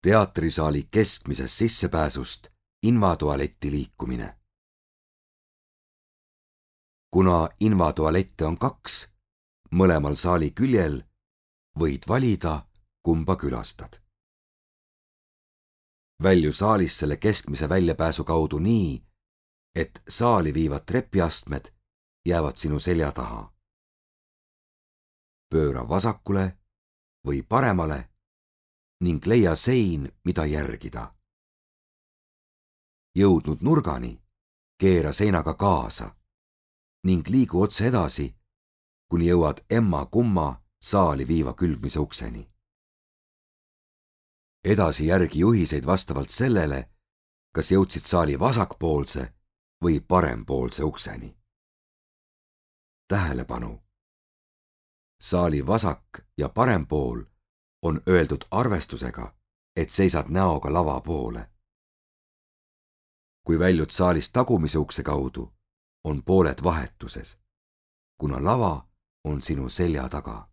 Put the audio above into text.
Teatrisaali keskmisest sissepääsust invatualetti liikumine. Kuna invatualette on 2, mõlemal saali küljel, võid valida, kumba külastad. Välju saalist selle keskmise väljapääsu kaudu nii, et saali viivad trepiastmed jäävad sinu selja taha. Pööra vasakule või paremale ning leia sein, mida järgida. Jõudnud nurgani, keera seinaga kaasa ning liigu otse edasi, kuni jõuad emma-kumma saali viiva külgmise ukseni. Edasi järgi juhiseid vastavalt sellele, kas jõudsid saali vasakpoolse või parempoolse ukseni. Tähelepanu! Saali vasak ja parem pool on öeldud arvestusega, et seisad näoga lava poole. Kui väljud saalist tagumise ukse kaudu, on pooled vahetuses, kuna lava on sinu selja taga.